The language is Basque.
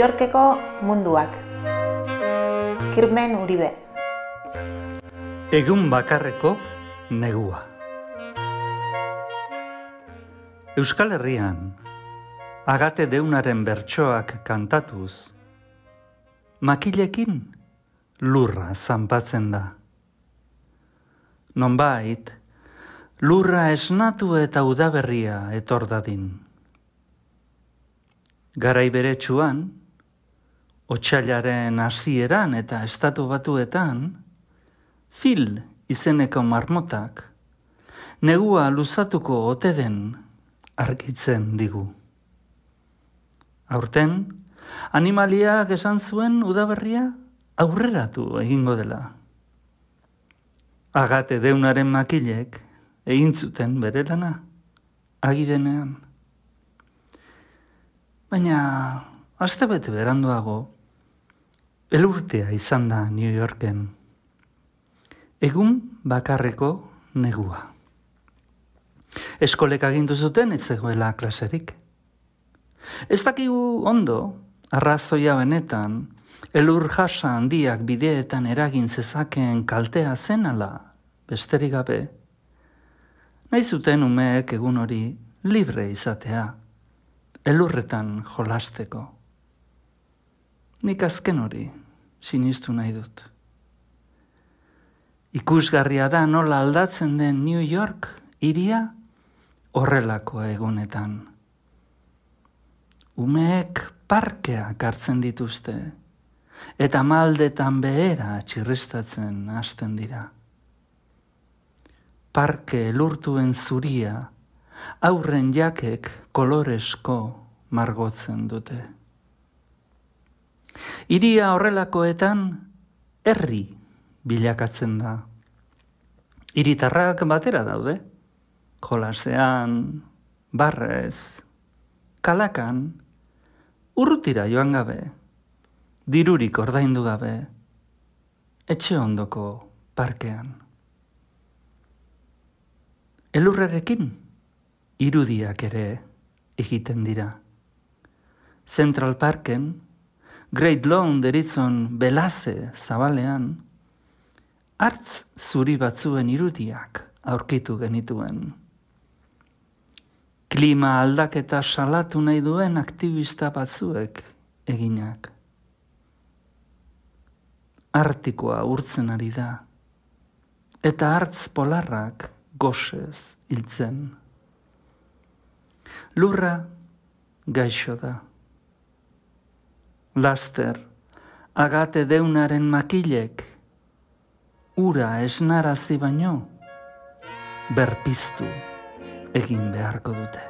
Yorkeko munduak. Kirmen Uribe. Egun bakarreko negua. Euskal Herrian, Agate Deunaren bertsoak kantatuz, makilekin lurra zanpatzen da. Nonbait, lurra esnatu eta udaberria etor dadin. Garai beretsuan, otsailaren hasieran eta Estatu Batuetan, Phil izeneko marmotak negua luzatuko ote den argitzen digu. Aurten, animaliak esan zuen udaberria aurreratu egingo dela. Agate Deunaren makilek egin zuten bere lana, agidenean. Baina, astebete beranduago, elurtea izan da New Yorken. Egun bakarreko negua. Eskolek agindu zuten ez zegoela klaserik. Ez dakigu ondo, arrazoia benetan, elur jasa handiak bideetan eragin zezakeen kaltea zen ala, besterik gabe. Nahi zuten umeek egun hori libre izatea, elurretan jolasteko. Nik azken hori sinistu nahi dut. Ikusgarria da nola aldatzen den New York hiria horrelako egunetan. Umeek parkeak hartzen dituzte, eta maldetan behera txirristatzen hasten dira. Parke elurtuen zuria, aurren jakek koloresko margotzen dute. Hiria horrelakoetan herri bilakatzen da. Hiritarrak batera daude, jolasean, barrez, kalakan, urrutira joan gabe, dirurik ordaindu gabe, etxe ondoko parkean. Elurrerekin irudiak ere egiten dira. Central Parken, Great Lawn deritzon belaze zabalean, hartz zuri batzuen irudiak aurkitu genituen. Klima aldaketa salatu nahi duen aktivista batzuek eginak. Artikoa urtzen ari da, eta hartz polarrak gosez hiltzen. Lurra gaixo da. Laster, Agate Deunaren makilek ura esnarazi baino berpiztu egin beharko dute.